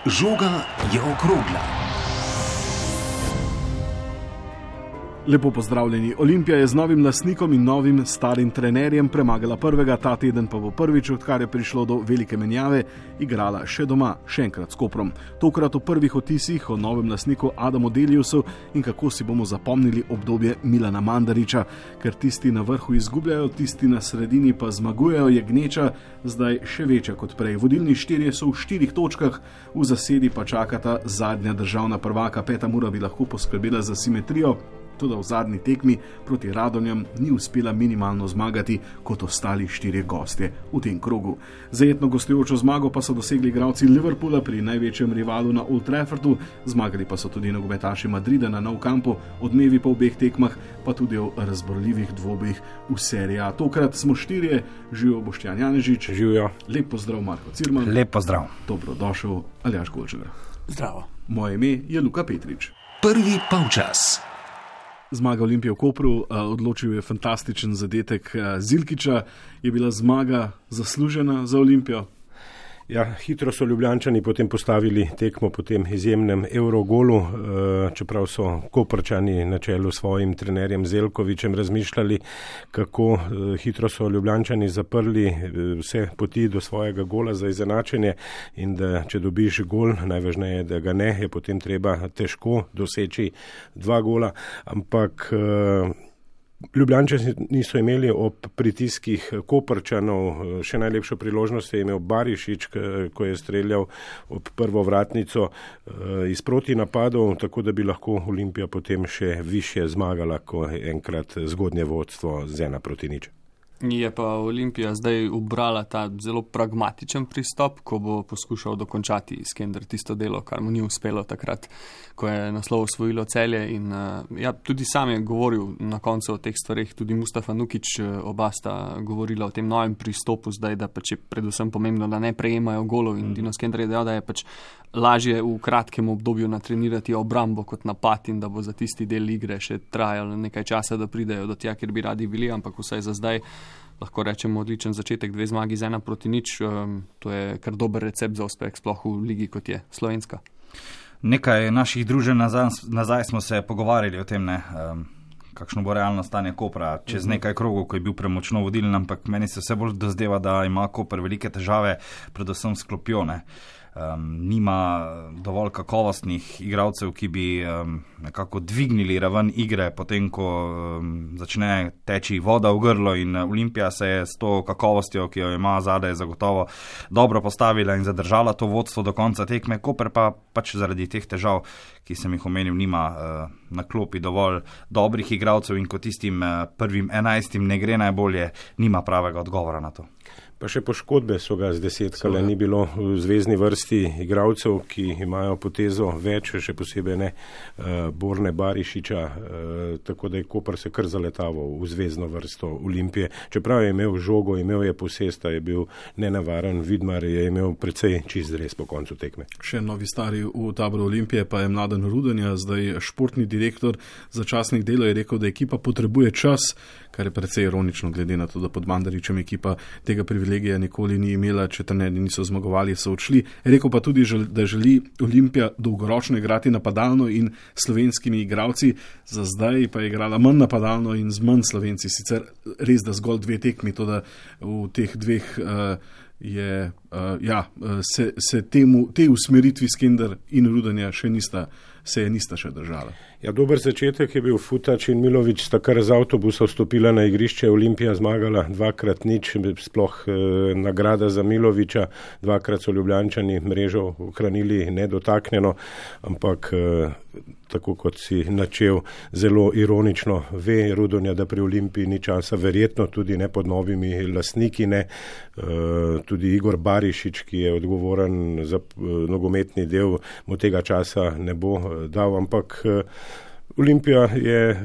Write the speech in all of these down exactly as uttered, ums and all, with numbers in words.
Žoga je okrogla. Lepo pozdravljeni. Olimpija je z novim lastnikom in novim starim trenerjem premagala prvega, ta teden pa bo prvič, odkar je prišlo do velike menjave, igrala še doma, še enkrat s Koprom. Tokrat v prvih otisih o novem lastniku Adamu Deljusu in kako si bomo zapomnili obdobje Milana Mandarića, ker tisti na vrhu izgubljajo, tisti na sredini pa zmagujejo, je gneča zdaj še večja kot prej. Vodilni štirje so v štirih točkah, v zasedi pa čakata zadnja državna prvaka. Peta Mura bi lahko poskrbela za simetrijo, tudi v zadnji tekmi proti Radomljam ni uspela minimalno zmagati kot ostali štirje gostje v tem krogu. Zajetno gostujočo zmago pa so dosegli igralci Liverpoola pri največjem rivalu na Old Traffordu, zmagali pa so tudi nogometaši Madrida na Nou Campu, odmevi po obeh tekmah, pa tudi o razborljivih dvobojih v seriji A. Tokrat smo štirje, živijo Boštjan Janežič. Živijo. Lep pozdrav Marko Cirman. Lep pozdrav. Dobrodošel Aljaž Golčegar. Zdravo. Moje ime je Luka Petrič. Prvi polčas. Zmaga Olimpije v Kopru, odločil je fantastičen zadetek Zilkiča. Je bila zmaga zaslužena za Olimpijo? Ja, hitro so Ljubljančani potem postavili tekmo po tem izjemnem Eurogolu, čeprav so Koprčani na čelu s svojim trenerjem Zeljkovićem razmišljali, kako hitro so Ljubljančani zaprli vse poti do svojega gola za izenačenje in da če dobiš gol, najvažneje, da ga ne, je potem treba težko doseči dva gola, ampak Ljubljančani niso imeli ob pritiskih Koprčanov, še najlepšo priložnost je imel Barišič, ko je streljal ob prvo vratnico iz proti napadov, tako da bi lahko Olimpija potem še više zmagala, ko je enkrat zgodnje vodstvo z ena proti nič. Je pa Olimpija zdaj ubrala ta zelo pragmatičen pristop, ko bo poskušal dokončati Iskender tisto delo, kar mu ni uspelo takrat, ko je naslov osvojilo Celje. In ja, tudi sam je govoril na koncu o teh stvareh, tudi Mustafa Nukić, oba sta govorila o tem novem pristopu zdaj, da pač je predvsem pomembno, da ne prejemajo golov. In Dino Skender je dejal, da je pač lažje v kratkem obdobju natrenirati obrambo kot napad in da bo za tisti del igre še trajalo nekaj časa, da pridejo do tja, kjer bi radi bili, ampak vsaj za zdaj lahko rečemo odličen začetek, dve zmagi z ena proti nič. Um, to je kar dober recept za uspeh, sploh v ligi, kot je slovenska. Nekaj naših druženj nazaj, nazaj smo se pogovarjali o tem, ne, um, kakšno bo realno stanje Kopra čez nekaj krogov, ko je bil premočno vodilen, ampak meni se vse bolj dozdeva, da ima Koper velike težave, predvsem s klopjo, ne. Um, nima dovolj kakovostnih igralcev, ki bi um, nekako dvignili raven igre, potem ko um, začne teči voda v grlo, in Olimpija se je s to kakovostjo, ki jo ima zadaj, zagotovo dobro postavila in zadržala to vodstvo do konca tekme. Koper pa pač zaradi teh težav, ki sem jih omenil, nima uh, na klopi dovolj dobrih igralcev in ko tistim uh, prvim enajstim ne gre najbolje, nima pravega odgovora na to. Pa še poškodbe so ga zdesetkale, ni bilo v zvezni vrsti igralcev, ki imajo potezo več, še posebej ne uh, Borne Barišiča, uh, tako da je Koper se kar zaletaval v zvezno vrsto Olimpije. Čeprav je imel žogo, imel je posesta, je bil nenavaren, Vidmar je imel precej čist res po koncu tekme. Še novi stari v taboru Olimpije pa je Mladen Rudonja, zdaj športni direktor za časnik Delo, je rekel, da ekipa potrebuje čas, kar je precej ironično glede na to, da pod Mandarićem ekipa tega privilegija nikoli ni imela, če trenerji niso zmagovali, so odšli. Rekel pa tudi, da želi Olimpija dolgoročno igrati napadalno in slovenskimi igralci, za zdaj pa je igrala manj napadalno in z manj Slovenci. Sicer res, da zgolj dve tekmi, to da v teh dveh uh, je, uh, ja, se, se temu, tej usmeritvi Skender in Rudonja še nista, se je nista še držala. Ja, dober začetek je bil Futač in Milović, sta kar z avtobusa vstopila na igrišče, Olimpija zmagala dvakrat nič, sploh eh, nagrada za Milovića, dvakrat so Ljubljančani mrežo ohranili nedotaknjeno, ampak eh, tako kot si načel, zelo ironično ve Rudonja, da pri Olimpiji ni časa, verjetno tudi ne pod novimi lastniki, ne. E, tudi Igor Barišič, ki je odgovoren za e, nogometni del, mu tega časa ne bo dal, ampak e, Olimpija je, e,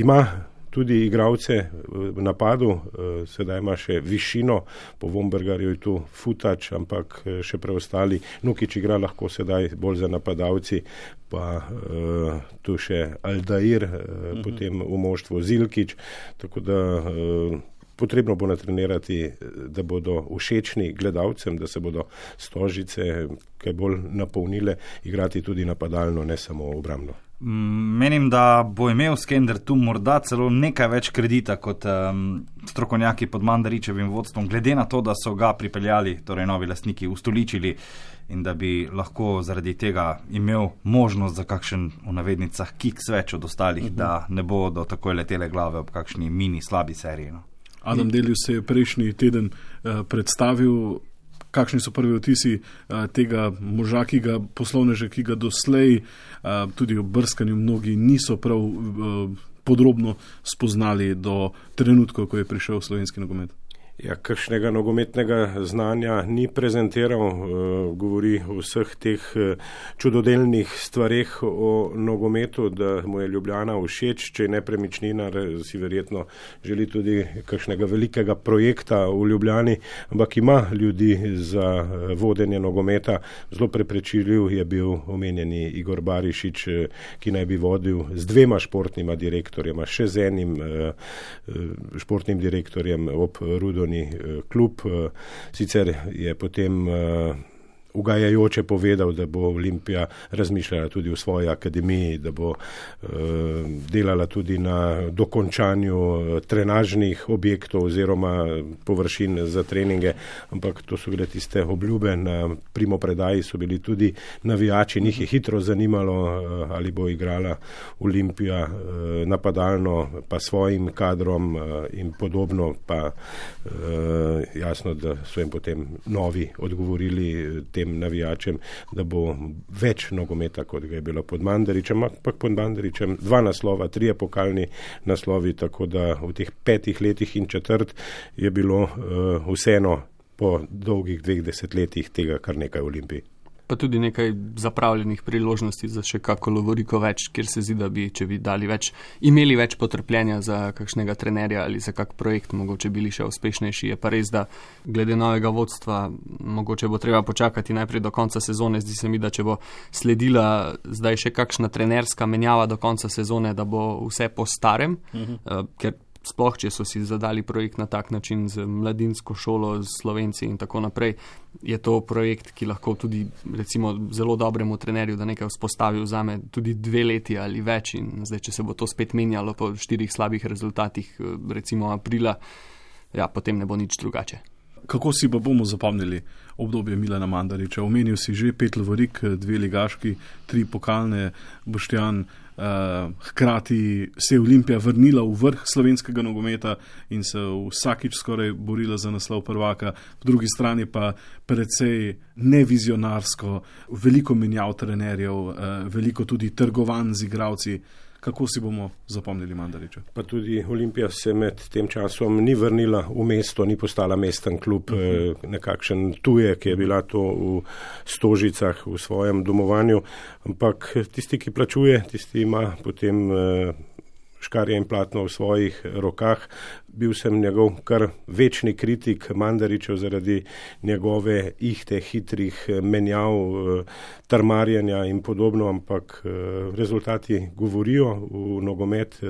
ima tudi igralce v napadu, sedaj ima še višino, po Vombergarju je tu Futač, ampak še preostali. Nukić igra lahko sedaj bolj za napadalci, pa uh, tu še Aldair, uh, uh-huh. potem v moštvu Zilkić, tako da uh, potrebno bo natrenirati, da bodo všečni gledalcem, da se bodo Stožice kaj bolj napolnile, igrati tudi napadalno, ne samo obrambno. Menim, da bo imel Skender tu morda celo nekaj več kredita kot um, strokovnjaki pod Mandaričevim vodstvom, glede na to, da so ga pripeljali, torej novi lastniki, ustoličili in da bi lahko zaradi tega imel možnost za kakšen, v navednicah, kiks več od ostalih, uh-huh. da ne bodo takoj letele glave ob kakšni mini slabi seriji. No. Adam Delius se je prejšnji teden uh, predstavil. Kakšni so prvi vtisi uh, tega moža, ki ga poslovneže, ki ga doslej uh, tudi ob brskanju mnogi niso prav uh, podrobno spoznali do trenutkov, ko je prišel v slovenski nogomet? Ja, kakšnega nogometnega znanja ni prezentiral, govori o vseh teh čudodelnih stvareh o nogometu, da mu je Ljubljana všeč, če je nepremičnina, si verjetno želi tudi kakšnega velikega projekta v Ljubljani, ampak ima ljudi za vodenje nogometa. Zelo preprečiljiv je bil omenjeni Igor Barišič, ki naj bi vodil z dvema športnima direktorjema, še z enim športnim direktorjem ob Rudo klub. Sicer je potem ugajajoče povedal, da bo Olimpija razmišljala tudi o svoji akademiji, da bo uh, delala tudi na dokončanju trenažnih objektov oziroma površin za treninge, ampak to so bile tiste obljube. Na primopredaji so bili tudi navijači, njih je hitro zanimalo, uh, ali bo igrala Olimpija uh, napadalno, pa svojim kadrom uh, in podobno, pa uh, jasno, da so jim potem novi odgovorili tem navijačem, da bo več nogometa, kot ga je bilo pod Mandaričem, ampak pod Mandaričem dva naslova, trije pokalni naslovi, tako da v teh petih letih in četrt je bilo uh, vseeno po dolgih dveh desetletjih tega kar nekaj v Olimpiji. Pa tudi nekaj zapravljenih priložnosti za še kako lovoriko več, kjer se zdi, da bi, če bi dali več, imeli več potrpljenja za kakšnega trenerja ali za kak projekt, mogoče bili še uspešnejši. Je pa res, da glede novega vodstva, mogoče bo treba počakati najprej do konca sezone. Zdi se mi, da če bo sledila zdaj še kakšna trenerska menjava do konca sezone, da bo vse po starem, uh-huh. uh, ker sploh, če so si zadali projekt na tak način z mladinsko šolo, z Slovenci in tako naprej, je to projekt, ki lahko tudi recimo zelo dobremu trenerju, da nekaj vzpostavi, vzame tudi dve leti ali več, in zdaj, če se bo to spet menjalo po štirih slabih rezultatih, recimo aprila, ja, potem ne bo nič drugače. Kako si pa bomo zapomnili obdobje Milana Mandariča? Omenil si že pet lovorik, dve ligaški, tri pokalne, Boštjan. Uh, hkrati se je Olimpija vrnila v vrh slovenskega nogometa in se vsakič skoraj borila za naslov prvaka, po drugi strani pa precej nevizionarsko, veliko menjav trenerjev, uh, veliko tudi trgovanj z igralci. Kako si bomo zapomnili Mandariča? Pa tudi Olimpija se med tem časom ni vrnila v mesto, ni postala mesten klub, uh-huh. nekakšen tujek je bila to v Stožicah, v svojem domovanju, ampak tisti, ki plačuje, tisti ima potem škarje in platno v svojih rokah. Bil sem njegov kar večni kritik Mandaričev zaradi njegove ihte, hitrih menjav, trmarjenja in podobno, ampak rezultati govorijo. V nogomet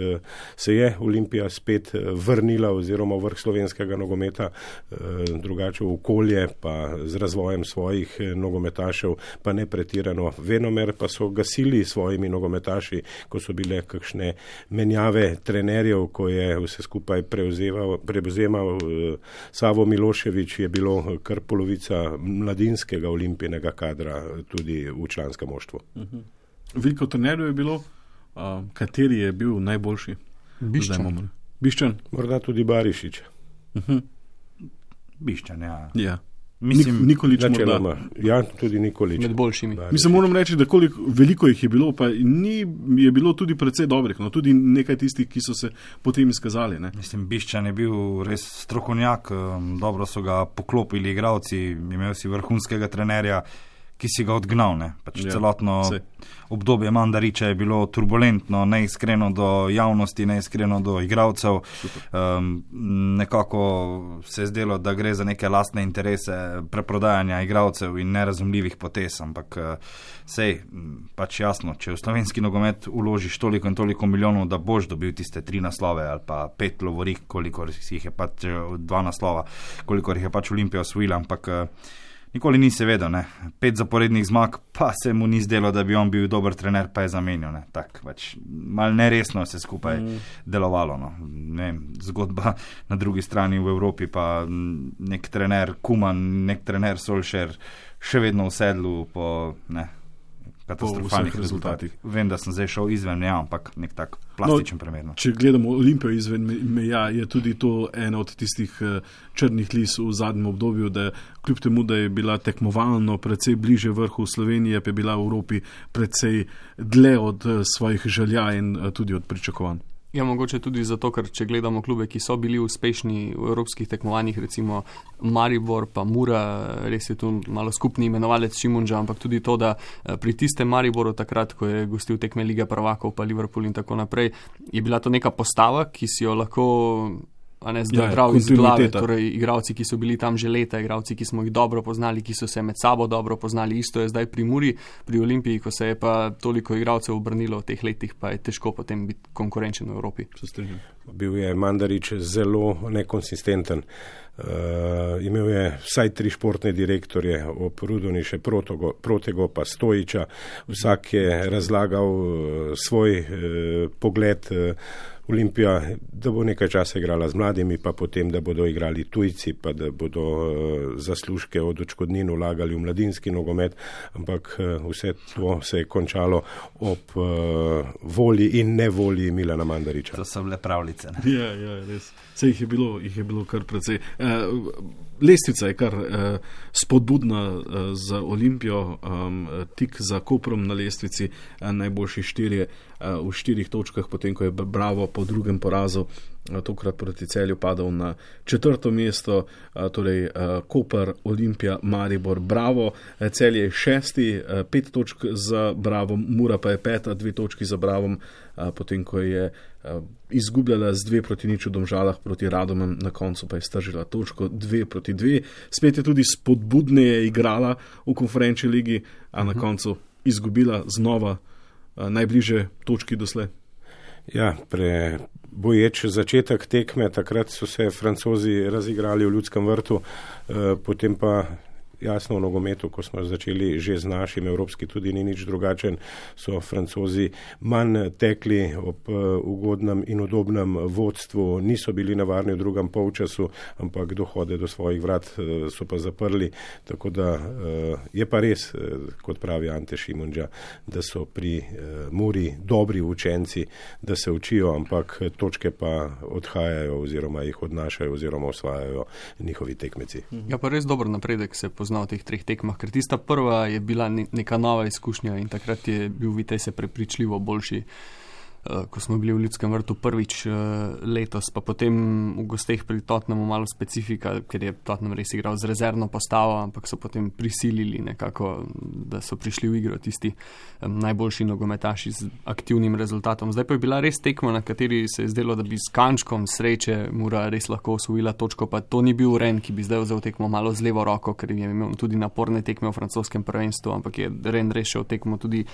se je Olimpija spet vrnila oziroma v vrh slovenskega nogometa, drugače v okolje, pa z razvojem svojih nogometašev, pa ne pretirano venomer, pa so gasili svojimi nogometaši, ko so bile kakšne menjave trenerjev, ko je vse skupaj prevzel prevzemal Savo Milošević, je bilo kar polovica mladinskega olimpijnega kadra tudi v članskem moštvu. Uh-huh. Veliko trenerjev je bilo, uh, kateri je bil najboljši? Biščan. Biščan? Morda tudi Barišić. Uh-huh. Biščan, ja. Ja. Mislim, Nik- Nikolič morda. Ja, tudi Nikolič. Med boljšimi. Mislim, moram reči, da koliko, veliko jih je bilo, pa ni, je bilo tudi precej dobrih, no, tudi nekaj tistih, ki so se potem izkazali. Ne? Mislim, Biščan je bil res strokovnjak, dobro so ga poklopili igralci, imel si vrhunskega trenerja, ki si ga odgnal. Ne? Pač ja, celotno sej. obdobje Mandariča je bilo turbulentno, neiskreno do javnosti, neiskreno do igralcev. Um, nekako se je zdelo, da gre za neke lastne interese preprodajanja igralcev in nerazumljivih potez, ampak sej, pač jasno, če v slovenski nogomet uložiš toliko in toliko milijonov, da boš dobil tiste tri naslove ali pa pet lovorik, kolikor jih je pač dva naslova, kolikor jih je pač Olimpija osvojila, ampak nikoli ni se vedel, ne. Pet zaporednih zmag, pa se mu ni zdelo, da bi on bil dober trener, pa je zamenil, ne. Tak, pač, mal neresno se skupaj mm. delovalo, no. Ne, zgodba na drugi strani v Evropi, pa nek trener Kuman, nek trener Solskjaer še vedno v sedlu po, ne, katastrofalnih rezultatih. Vem, da sem zdaj šel izven meja, ampak nek tak plastičen no, primer. No. Če gledamo Olimpijo izven meja, je tudi to ena od tistih črnih lis v zadnjem obdobju, da kljub temu, da je bila tekmovalno precej bliže vrhu Slovenije, pa je bila v Evropi precej dlje od svojih želja in tudi od pričakovanj. Ja, mogoče tudi zato, ker če gledamo klube, ki so bili uspešni v evropskih tekmovanjih, recimo Maribor pa Mura, res je tu malo skupni imenovalec Šimunža, ampak tudi to, da pri tistem Mariboru takrat, ko je gostil tekme Lige prvakov pa Liverpool in tako naprej, je bila to neka postava, ki si jo lahko a ne zdravil ja, iz glave, torej igralci, ki so bili tam že leta, igralci, ki smo jih dobro poznali, ki so se med sabo dobro poznali, isto je zdaj pri Muri, pri Olimpiji, ko se je pa toliko igralcev obrnilo v teh letih, pa je težko potem biti konkurenčen v Evropi. Bil je Mandarič zelo nekonsistenten. Uh, imel je vsaj tri športne direktorje, ob Rudoni še Protego, Protego pa Stojiča, vsak je razlagal uh, svoj uh, pogled. Uh, Olimpija, da bo nekaj časa igrala z mladimi, pa potem, da bodo igrali tujci, pa da bodo uh, zaslužke od odškodnin vlagali v mladinski nogomet, ampak uh, vse to se je končalo ob uh, volji in nevolji Milana Mandariča. To so bile pravljice. Ne? Ja, ja, res. Vse jih je bilo, jih je bilo kar precej. Uh, lestvica je kar uh, spodbudna uh, za Olimpijo, um, tik za Koprom na lestvici, uh, najboljši štirje uh, v štirih točkah, potem ko je Bravo po drugem porazu uh, tokrat proti Celju padal na četrto mesto, uh, torej uh, Koper, Olimpija, Maribor, Bravo, uh, Celje je šesti, uh, pet točk za Bravom, Mura pa je peta, dve točki za Bravom, uh, potem ko je uh, izgubljala z dve proti nič v Domžalah proti Radomem, na koncu pa je stržila točko dve proti dve. Spet je tudi spodbudneje igrala v konferenčni ligi, a na koncu izgubila znova a, najbliže točki doslej. Ja, pre boječ začetek tekme, takrat so se Francozi razigrali v Ljudskem vrtu, e, potem pa jasno v nogometu, ko smo začeli že z našim, evropski tudi ni nič drugačen, so Francozi manj tekli ob uh, ugodnem in udobnem vodstvu, niso bili navarni v drugem polčasu, ampak dohode do svojih vrat uh, so pa zaprli, tako da uh, je pa res, uh, kot pravi Ante Šimunža, da so pri uh, Muri dobri učenci, da se učijo, ampak točke pa odhajajo oziroma jih odnašajo oziroma osvajajo njihovi tekmeci. Ja, pa res dober napredek se pozna v teh treh tekmah, ker tista prva je bila neka nova izkušnja in takrat je bil Vitesse prepričljivo boljši, ko smo bili v Ljudskem vrtu prvič letos, pa potem v gosteh pri Tottenhamu malo specifika, ker je Tottenham res igral z rezervno postavo, ampak so potem prisilili nekako, da so prišli v igro tisti najboljši nogometaši z aktivnim rezultatom. Zdaj pa je bila res tekma, na kateri se je zdelo, da bi s kančkom sreče Mura res lahko osvojila točko, pa to ni bil Ren, ki bi zdaj vzel tekmo malo z levo roko, ker je imel tudi naporne tekme v francoskem prvenstvu, ampak je Ren rešil tekmo tudi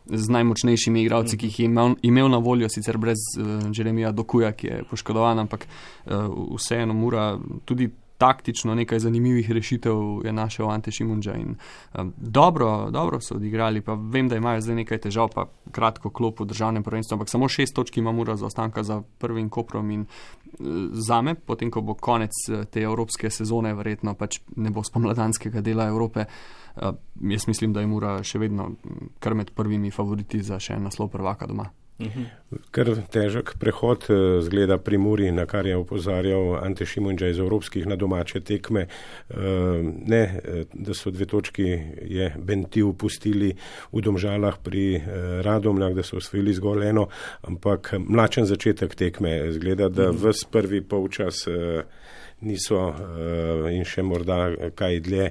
z najmočnejšimi igralci, ki jih je imel, imel na voljo, sicer brez uh, Jeremija Dokuja, ki je poškodovan, ampak uh, vseeno Mura tudi taktično nekaj zanimivih rešitev je našel Ante Šimunža in um, dobro, dobro so odigrali, pa vem, da imajo zdaj nekaj težav, pa kratko klop v državnem prvenstvu, ampak samo šest točk ima Mura za ostanka za prvim Koprom in uh, zame, potem ko bo konec te evropske sezone, verjetno pač ne bo spomladanskega dela Evrope, Uh, jaz mislim, da je Mura še vedno kar med prvimi favoriti za še en naslov prvaka doma. Kar težek prehod zgleda pri Muri, na kar je opozarjal Ante Šimunža iz evropskih na domače tekme. Ne, da so dve točki je Bentiu pustili v Domžalah pri Radomljah, da so osvojili zgolj eno, ampak mlačen začetek tekme zgleda, da ves prvi polčas niso in še morda kaj dlje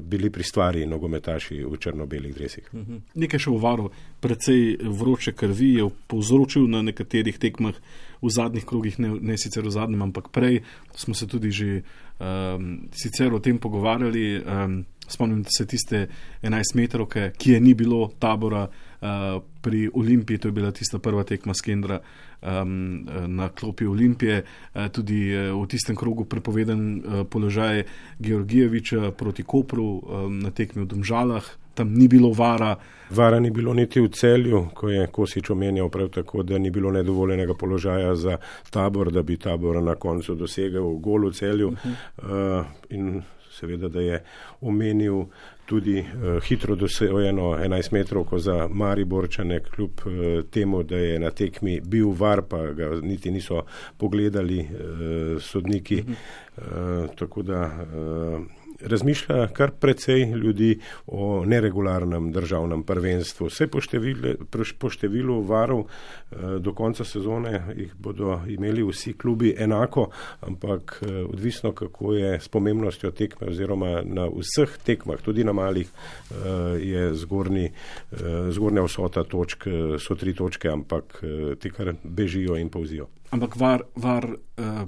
bili pri stvari nogometaši v črno-belih dresih. Nekaj še o Varu, precej vroče krvi je povzročil na nekaterih tekmah v zadnjih krogih, ne, ne sicer v zadnjem, ampak prej. Smo se tudi že um, sicer o tem pogovarjali. Um, spomnim se tiste enajstmetrovke, ki je ni bilo Tabora uh, pri Olimpiji, to je bila tista prva tekma Skendra um, na klopi Olimpije, uh, tudi uh, v tistem krogu prepoveden uh, položaj Georgijeviča proti Kopru um, na tekmi v Domžalah. Tam ni bilo vara. Vara ni bilo niti v Celju, ko je Kosič omenjal prav tako, da ni bilo nedovoljenega položaja za Tabor, da bi Tabor na koncu dosegel gol v Celju. Uh-huh. Uh, in seveda, da je omenil tudi uh, hitro dosegeno enajstmetrovko za Mariborčane, kljub uh, temu, da je na tekmi bil var, pa ga niti niso pogledali uh, sodniki. Uh, tako da uh, razmišlja kar precej ljudi o neregularnem državnem prvenstvu. Vse po, števile, po številu varov eh, do konca sezone jih bodo imeli vsi klubi enako, ampak eh, odvisno, kako je s pomembnostjo tekme oziroma na vseh tekmah, tudi na malih, eh, je zgornji, eh, zgornja vsota točk, so tri točke, ampak eh, te kar bežijo in povzijo. Ampak var, var eh,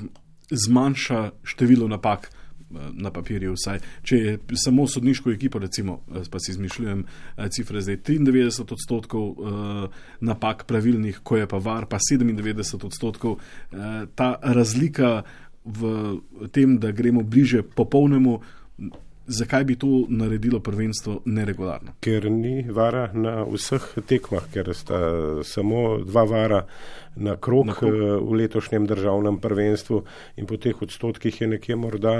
zmanjša število napak na papirju vsaj. Če je samo sodniško ekipo, recimo, pa si izmišljujem cifre zdaj, triindevetdeset odstotkov uh, napak pravilnih, ko je pa var, pa sedemindevetdeset odstotkov. Uh, ta razlika v tem, da gremo bliže popolnemu, zakaj bi to naredilo prvenstvo neregularno? Ker ni vara na vseh tekmah, ker sta samo dva vara na krog, na krog v letošnjem državnem prvenstvu in po teh odstotkih je nekje morda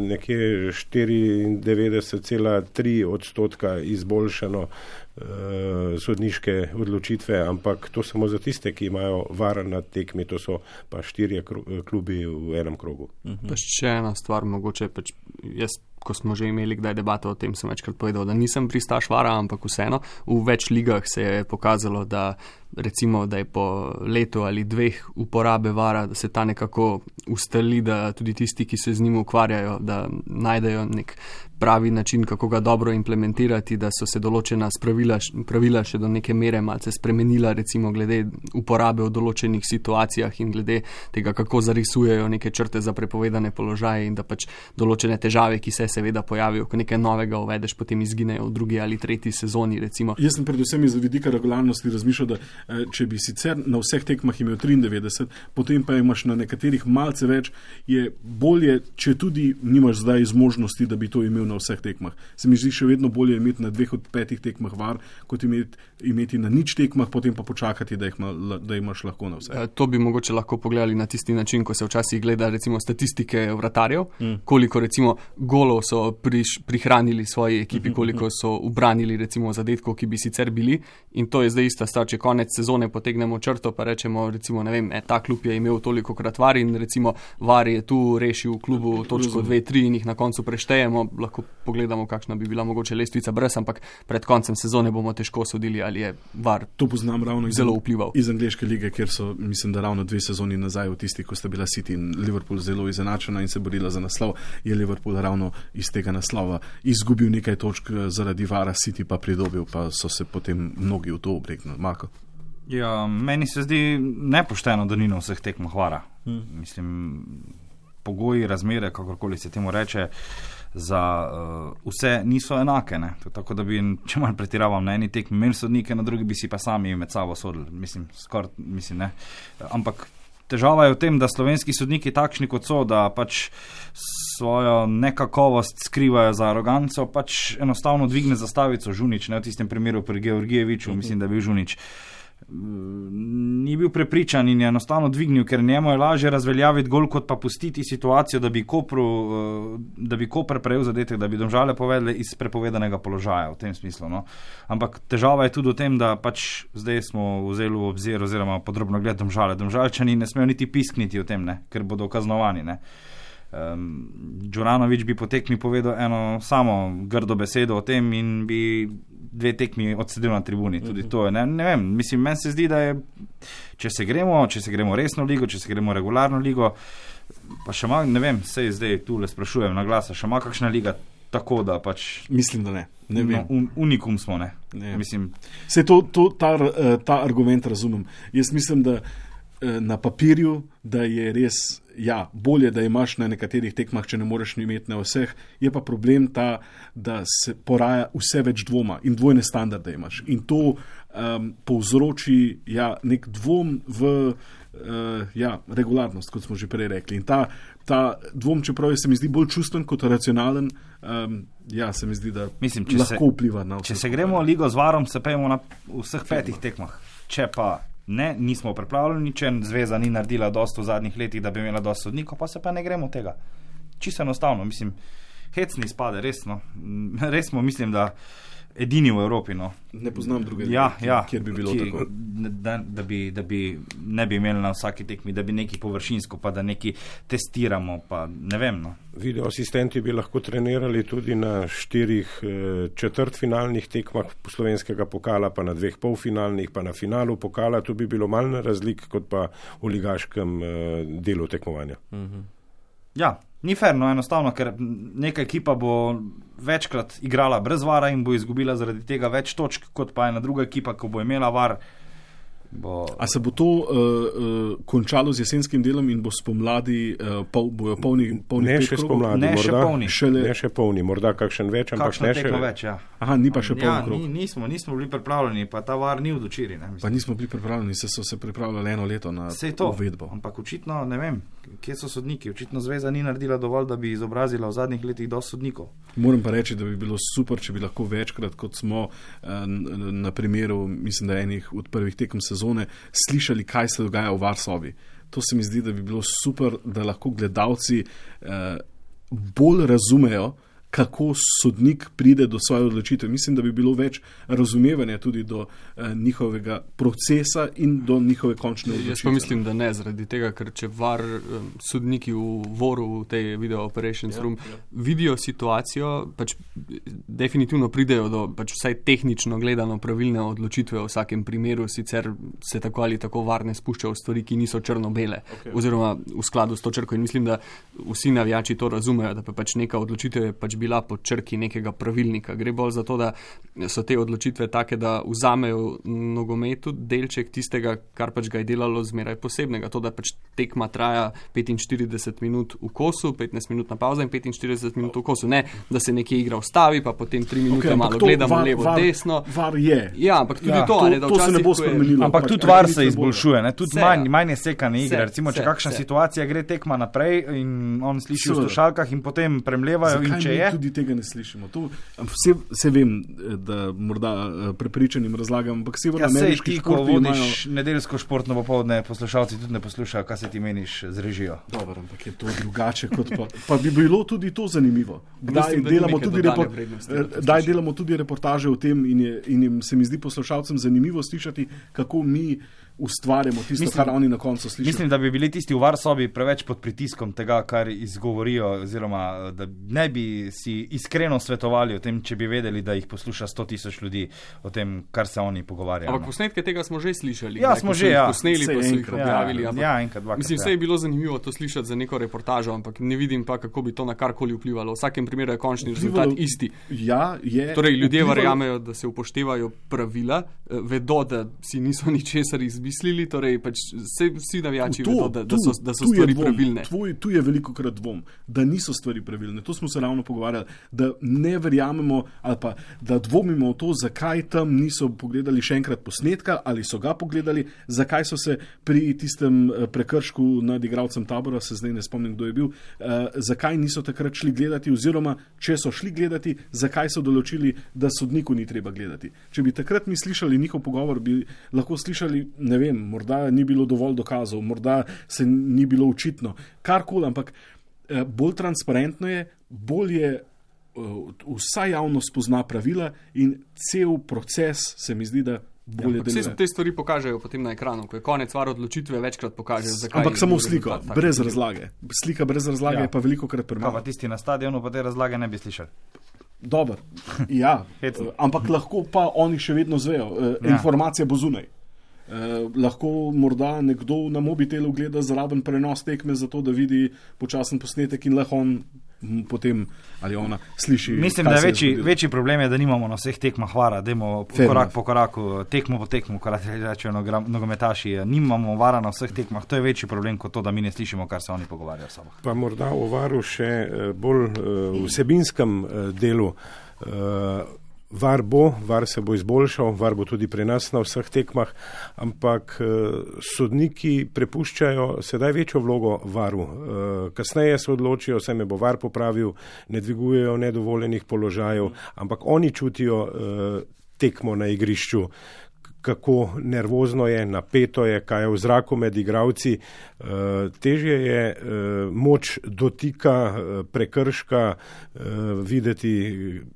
nekje štiriindevetdeset cela tri odstotka izboljšano uh, sodniške odločitve, ampak to samo za tiste, ki imajo var na tekmi, to so pa štirje klubi v enem krogu. Uh-huh. Pa še ena stvar, mogoče pač jaz, ko smo že imeli kdaj debato o tem, sem večkrat povedal, da nisem pristaš vara, ampak vseeno, v več ligah se je pokazalo, da recimo, da je po letu ali dveh uporabe vara, da se ta nekako ustali, da tudi tisti, ki se z njim ukvarjajo, da najdejo nek pravi način, kako ga dobro implementirati, da so se določena pravila, pravila še do neke mere malce spremenila, recimo glede uporabe v določenih situacijah in glede tega, kako zarisujejo neke črte za prepovedane položaje in da pač določene težave, ki se seveda pojavijo, ko nekaj novega uvedeš, potem izginejo v drugi ali tretji sezoni, recimo. Jaz sem predvsem iz vidika regularnosti razmišljal, da če bi sicer na vseh tekmah imel triindevetdeset, potem pa imaš na nekaterih malce več, je bolje, če tudi nimaš zdaj zmožnosti, da bi to imel na vseh tekmah. Se mi zdi še vedno bolje imeti na dveh od petih tekmah var, kot imeti, imeti na nič tekmah, potem pa počakati, da, jih ma, da imaš lahko na vseh. E, to bi mogoče lahko pogledali na tisti način, ko se včasih gleda recimo statistike vratarjev, mm. koliko recimo golov so priš, prihranili svoji ekipi, koliko so ubranili recimo zadetkov, ki bi sicer bili, in to je zdaj ista stvar, če konec sezone potegnemo črto, pa rečemo recimo, ne vem, e, ta klub je imel toliko krat var in recimo var je tu rešil v klubu točko dve tri in jih na koncu preštejemo, lahko pogledamo, kakšna bi bila mogoče lestvica brez, ampak pred koncem sezone bomo težko sodili, ali je var to poznam ravno iz, zelo vplival. Iz angleške lige, kjer so, mislim, da ravno dve sezoni nazaj v tisti, ko sta bila City in Liverpool zelo izenačena in se borila za naslov, je Liverpool ravno iz tega naslova izgubil nekaj točk zaradi vara, City pa pridobil, pa so se potem mnogi v to obregnili. Marko? Ja, meni se zdi nepošteno, da ni na vseh tekmah vara. Hmm. Mislim, pogoji, razmere, kakorkoli se temu reče, za uh, vse niso enake. Ne? Tako da bi, če malo pretiravam, na eni tekmi imeli sodnike, na drugi bi si pa sami med sabo sodili. Mislim, skoraj, mislim, ne. Ampak težava je v tem, da slovenski sodniki takšni kot so, da pač svojo nekakovost skrivajo za aroganco, pač enostavno dvigne zastavico Žunič, ne v tistem primeru pri Georgijeviču, mislim, da je bil Žunič. Ni bil prepričan in je enostavno dvignil, ker njemu je lažje razveljaviti gol, kot pa pustiti situacijo, da bi Kopru, da bi Koper prejel zadetek, da bi Domžale povedali iz prepovedanega položaja v tem smislu. No. Ampak težava je tudi v tem, da pač zdaj smo vzeli v obzir oziroma podrobno gled Domžale. Domžalčani ne smejo niti piskniti o tem, ne, ker bodo kaznovani. Ne. Um, Đuranović bi po tekmi povedal eno samo grdo besedo o tem in bi dve tekmi odsedel na tribuni. Tudi to je, ne, ne vem, mislim, meni se zdi, da je, če se gremo, če se gremo resno ligo, če se gremo regularno ligo, Pa še ima, ne vem, sej zdaj tu le sprašujem na glasa, še ima kakšna liga tako, da pač... Mislim, da ne. Ne vem. No, un, unikum smo, ne? ne. Mislim... Sej to, to, ta, ta argument razumem. Jaz mislim, da na papirju, da je res, ja, bolje, da imaš na nekaterih tekmah, če ne moreš imeti na vseh, je pa problem ta, da se poraja vse več dvoma in dvojne standarde imaš. In to um, povzroči, ja, nek dvom v uh, ja, regularnost, kot smo že prej rekli. In ta, ta dvom, čeprav se mi zdi bolj čustven kot racionalen, um, ja, se mi zdi, da Mislim, lahko se, vpliva na vse. Če se gremo ligo z varom, se pejmo na vseh petih tekmah. Če pa ne, nismo pripravljeni, če zveza ni naredila dosto v zadnjih letih, da bi imela dosto sodnikov, pa se pa ne gremo tega. Čisto enostavno, mislim, hecni spade, resno. Res smo, mislim, da edini v Evropi, no. Ne poznam druge, ja, ja, kjer bi bilo ki, tako. Da, da, bi, da bi ne bi imeli na vsaki tekmi, da bi neki površinsko, pa da neki testiramo, pa ne vem, no. Video asistenti bi lahko trenirali tudi na štirih eh, četrtfinalnih tekmah slovenskega pokala, pa na dveh polfinalnih, pa na finalu pokala. Tu bi bilo malne razlik, kot pa v ligaškem eh, delu tekmovanja. Mhm. Ja, ni fair, no, enostavno, ker neka ekipa bo večkrat igrala brez vara in bo izgubila zaradi tega več točk, kot pa ena druga ekipa, ko bo imela var. Bo... A se bo to uh, uh, končalo z jesenskim delom in bo spomladi uh, pol, bojo polni, polni ne pet še krogov? Spomladi, ne morda, še polni. Šele... Ne še polni, morda kakšen več, ampak Kakšno ne še več. Ja. Aha, ni pa še polni ja, krog. Ni, nismo, nismo bili pripravljeni, pa ta var ni vdočiri. Ne, pa nismo bili pripravljeni, se so se pripravljali eno leto na uvedbo. Ampak očitno, ne vem, kje so sodniki. Očitno zveza ni naredila dovolj, da bi izobrazila v zadnjih letih dosti sodnikov. Moram pa reči, da bi bilo super, če bi lahko večkrat, kot smo na primeru, mislim, da enih od prvih tekem sezone, slišali, kaj se dogaja v Varsovi. To se mi zdi, da bi bilo super, da lahko gledalci eh, bolj razumejo, kako sodnik pride do svoje odločitve. Mislim, da bi bilo več razumevanja tudi do eh, njihovega procesa in do njihove končne odločitve. Jaz pa mislim, da ne, zaradi tega, ker če var um, sodniki v voru, v tej video operations ja, room, ja. vidijo situacijo, pač definitivno pridejo do pač vsaj tehnično gledano pravilne odločitve v vsakem primeru, sicer se tako ali tako var ne spušča v stvari, ki niso črno-bele, okay. oziroma v skladu s to črko. In mislim, da vsi navijači to razumejo, da pa pač neka odločitev je pač bila po črki nekega pravilnika. Gre bolj za to, da so te odločitve take, da vzamejo nogometu delček tistega, kar pač ga je delalo zmeraj posebnega. To, da pač tekma traja petinštirideset minut v kosu, petnajst minut na pauza in petinštirideset minut v kosu. Ne, da se nekje igra ustavi, pa potem tri minute okay, malo to, gledamo var, levo, var, desno. Var je. Ja, ampak tudi ja, to, to, ne, da to se ne bo spremenilo. Ampak pač, tudi var se izboljšuje, ne? Tudi manj, manj je sekane igre. Se, Recimo, če se, kakšna se. situacija gre tekma naprej in on sliši se. v slušalkah in potem premlevajo in če je. Tudi tega ne slišimo. To, vse, vse vem, da morda prepričanim razlagam, ampak severno ameriški športi imajo... Ja, sej ti, ko vodiš imajo... nedeljsko športno popoldne, poslušalci tudi ne poslušajo, kaj se ti meniš z režijo. Dobro, ampak je to drugače kot pa... Pa bi bilo tudi to zanimivo. Kdaj Mislim, delamo, tudi repor... Daj delamo tudi reportaže o tem in, je, in jim se mi zdi poslušalcem zanimivo slišati, kako mi ustvarjamo tisto, mislim, kar oni na koncu slišijo. Mislim, da bi bili tisti v Varsobi preveč pod pritiskom tega, kar izgovorijo, oziroma da ne bi si iskreno svetovali o tem, če bi vedeli, da jih posluša sto tisoč ljudi o tem, kar se oni pogovarjajo. Ampak posnetke tega smo že slišali. Ja, smo že, ja. Posneli, pa so jih objavili. Ja, ja, enkrat, dvakrat. Mislim, vse je bilo zanimivo to slišati za neko reportažo, ampak ne vidim pa, kako bi to na karkoli vplivalo. V vsakem primeru je končni rezultat isti. Ja, je. Torej, ljudje verjamejo, da se upoštevajo pravila, vedo, da si niso ničesar izmislili, torej pač vse, vsi navijači vedo, da, da so, da so stvari dvom, pravilne. Tvoj, tu je veliko krat dvom, da niso stvari pravilne. To smo se ravno pogovarjali, da ne verjamemo ali pa da dvomimo v to, zakaj tam niso pogledali še enkrat posnetka ali so ga pogledali, zakaj so se pri tistem prekršku nad igralcem Tabora, se zdaj ne spomnim, kdo je bil, uh, zakaj niso takrat šli gledati oziroma, če so šli gledati, zakaj so določili, da sodniku ni treba gledati. Če bi takrat mi slišali njihov pogovor, bi lahko slišali, ne vem, morda ni bilo dovolj dokazov, morda se ni bilo očitno, karkoli, ampak uh, bolj transparentno je, bolj je vsa javnost pozna pravila in cel proces se mi zdi, da bolje ja, deluje. Vse te stvari pokažejo potem na ekranu, ko je konec var odločitve, večkrat pokažejo, zakaj. Ampak samo sliko, brez razlage. Slika brez razlage ja. je pa veliko krat premalo. Pa tisti na stadionu pa te razlage ne bi slišali. Dobar, ja, ampak lahko pa oni še vedno zvejo. Ja. Informacija bo zunaj. Eh, lahko morda nekdo na mobitelu gleda zraven prenos tekme, zato da vidi počasen posnetek in lahko on potem ali ona sliši. Mislim, da je večji, večji problem je, da nimamo na vseh tekmah vara, dajmo korak po koraku, tekmo po tekmu, kar rečejo nogometaši, nimamo vara na vseh tekmah, to je večji problem kot to, da mi ne slišimo, kar se oni pogovarjajo s sabo. Pa morda o varu še bolj vsebinskem delu. Var bo, var se bo izboljšal, var bo tudi pri nas na vseh tekmah, ampak sodniki prepuščajo sedaj večjo vlogo varu. Kasneje se odločijo, se me bo var popravil, ne dvigujejo nedovoljenih položajev, ampak oni čutijo tekmo na igrišču, kako nervozno je, napeto je, kaj je v zraku med igravci. Težje je moč dotika, prekrška videti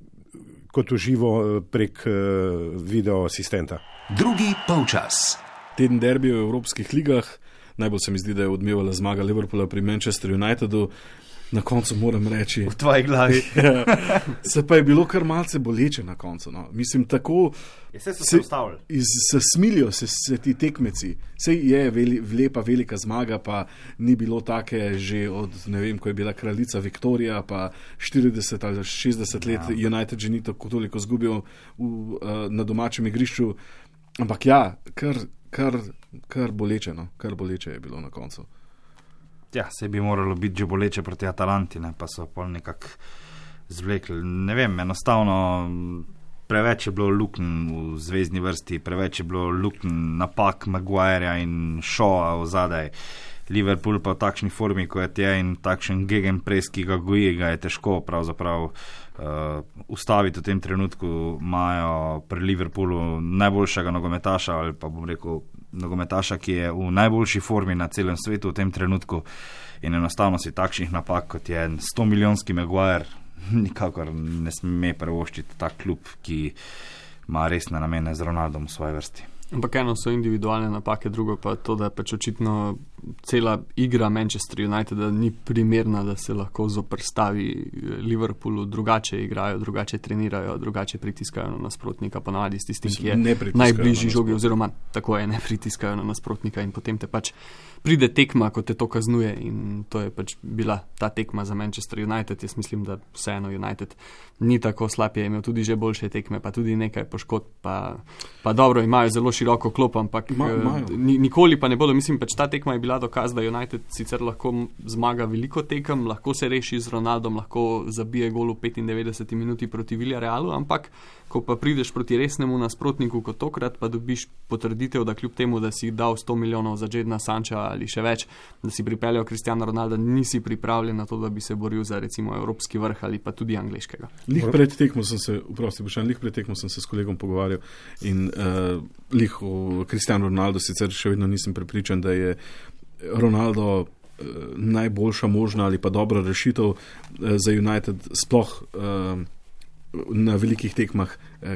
kot uživo prek video asistenta. Drugi polčas. Teden derbija v evropskih ligah. Najbolj se mi zdi, da je odmevala zmaga Liverpoola pri Manchester Unitedu. Na koncu moram reči... V tvoji glavi. Se pa je bilo kar malce boleče na koncu. No. Mislim, tako... Se so se ustavili. Se smilijo se, se ti tekmeci. Sej je veli, lepa velika zmaga, pa ni bilo take že od, ne vem, ko je bila kraljica Viktorija, pa štirideset ali šestdeset let ja. United že ni tako toliko zgubil v, uh, na domačem igrišču. Ampak ja, kar, kar, kar boleče, no. Kar boleče je bilo na koncu. Ja, se bi moralo biti že boleče proti Atalanti, ne, pa so pol nekako zvlekli. Ne vem, enostavno preveč je bilo lukn v zvezdni vrsti, preveč je bilo lukn napak Maguireja in Shawa v zadaj. Liverpool pa v takšni formi, ko je tje in takšen gegenpress, ki ga goji, ga je težko pravzaprav uh, ustaviti v tem trenutku. Imajo pri Liverpoolu najboljšega nogometaša ali pa bom rekel nogometaša, ki je v najboljši formi na celem svetu v tem trenutku in enostavno si takšnih napak, kot je sto milijonski Maguire, nikakor ne sme prevoščiti tak klub, ki ima resne namene z Ronaldom v svoji vrsti. Ampak eno so individualne napake, drugo pa to, da pač očitno cela igra Manchester United ni primerna, da se lahko zoprstavi Liverpoolu, drugače igrajo, drugače trenirajo, drugače pritiskajo na nasprotnika, ponavadi s tistim, ki je najbližji žogi, oziroma tako je, ne pritiskajo na nasprotnika in potem te pač pride tekma, ko te to kaznuje in to je pač bila ta tekma za Manchester United. Jaz mislim, da vseeno United ni tako slab, je imel tudi že boljše tekme, pa tudi nekaj poškodb, pa, pa dobro, imajo zelo široko klop, ampak Ma, nikoli pa ne bodo, mislim, pač ta tekma je bila dokaz, da United sicer lahko zmaga veliko tekem, lahko se reši z Ronaldom, lahko zabije gol v petindevetdeseti minuti proti Villarealu, ampak ko pa prideš proti resnemu nasprotniku kot tokrat, pa dobiš potrditev, da kljub temu, da si dal sto milijonov za Jadona Sancha ali še več, da si pripeljal Cristiano Ronalda, nisi pripravljen na to, da bi se boril za recimo evropski vrh ali pa tudi angleškega. Lih pred tekmo sem se, vprosti, bošan, lih pred tekmo sem se s kolegom pogovarjal in uh, lih o Cristiano Ronaldo sicer še vedno nisem prepričan, da je Ronaldo uh, najboljša možna ali pa dobra rešitev uh, za United sploh uh, na velikih tekmah,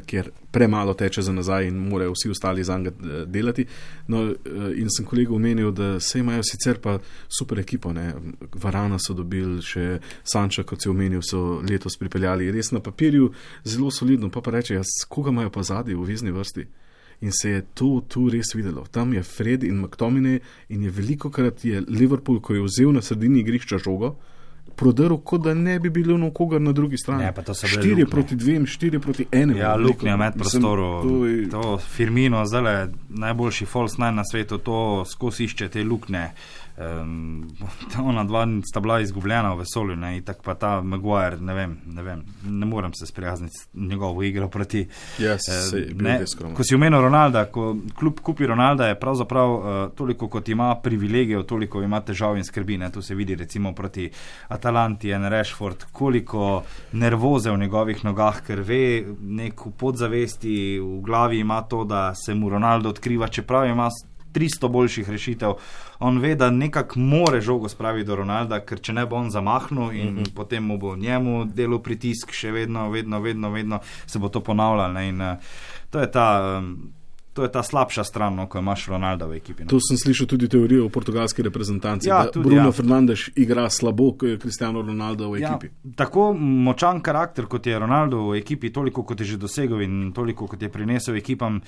kjer premalo teče za nazaj in morajo vsi ostali za njega delati. No, in sem kolegu omenil, da se imajo sicer pa super ekipo, ne. Varana so dobili, še Sancha, kot si omenil, so letos pripeljali res na papirju zelo solidno, pa pa reče, jaz, koga imajo pa zadnji v vezni vrsti? In se je to tu res videlo. Tam je Fred in McTominay in je velikokrat je Liverpool, ko je vzel na sredini igrišča žogo, prodrl, kot da ne bi bilo nokogar na drugi strani. Ne, pa to so štiri proti dvem, štiri proti enem. Ja, luknja med prostoru. To, je... to Firmino, zdaj najboljši false nine na svetu, to skozi išče te luknje. Um, ona dva sta bila izgubljena v vesolju, ne, in tak pa ta Maguire, ne vem, ne vem, ne morem se sprijazniti njegovo igro proti. Yes, uh, ne, ko si omenil Ronalda, ko klub kupi Ronalda, je pravzaprav uh, toliko, kot ima privilegijev, toliko ima težav in skrbi, ne, tu se vidi recimo proti Atalanti in Rashford, koliko nervoze v njegovih nogah, ker ve, nek v podzavesti, v glavi ima to, da se mu Ronaldo odkriva, čeprav ima tristo boljših rešitev. On ve, da nekako more žogo spraviti do Ronalda, ker če ne bo on zamahnil in mm-hmm. potem mu bo njemu delal pritisk, še vedno, vedno, vedno, vedno se bo to ponavljalo. Ne? In uh, to je ta... Um, To je ta slabša stran, no, ko imaš Ronalda v ekipi. No. To sem slišal tudi teorijo o portugalski reprezentanci, ja, da tudi, Bruno ja. Fernandes igra slabo, ko je Cristiano Ronaldo v ekipi. Ja, tako močan karakter, kot je Ronaldo v ekipi, toliko, kot je že dosegel in toliko, kot je prinesel ekipam,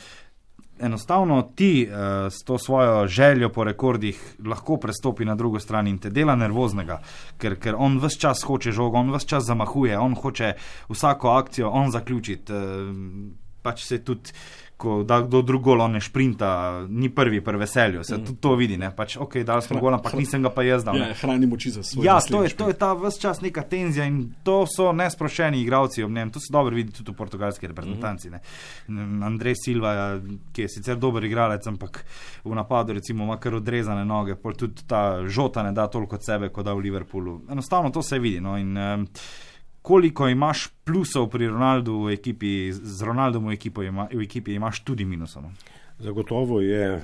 enostavno ti uh, s to svojo željo po rekordih lahko prestopi na drugo stran in te dela nervoznega, ker, ker on ves čas hoče žogo, on ves čas zamahuje, on hoče vsako akcijo on zaključiti, uh, pač se tudi ko da kdo drug gol, on ne šprinta, ni prvi pri veselju, se mm. tudi to vidi, ne, pač ok, dal smo gol, ampak nisem ga pa jaz dal. Ja, hrani moči za svoj. Ja, to je, to je ta ves čas neka tenzija in to so nesprošeni igralci ob njem, to se dobro vidi tudi v portugalski reprezentanci, ne. Andrej Silva, ki je sicer dober igralec, ampak v napadu recimo ima kar odrezane noge, pol tudi ta Žota ne da toliko od sebe, kot da v Liverpoolu. Enostavno to se vidi, no, in um, koliko imaš plusov pri Ronaldu v ekipi, z Ronaldom v ekipi, ima, v ekipi imaš tudi minusov. Zagotovo je e,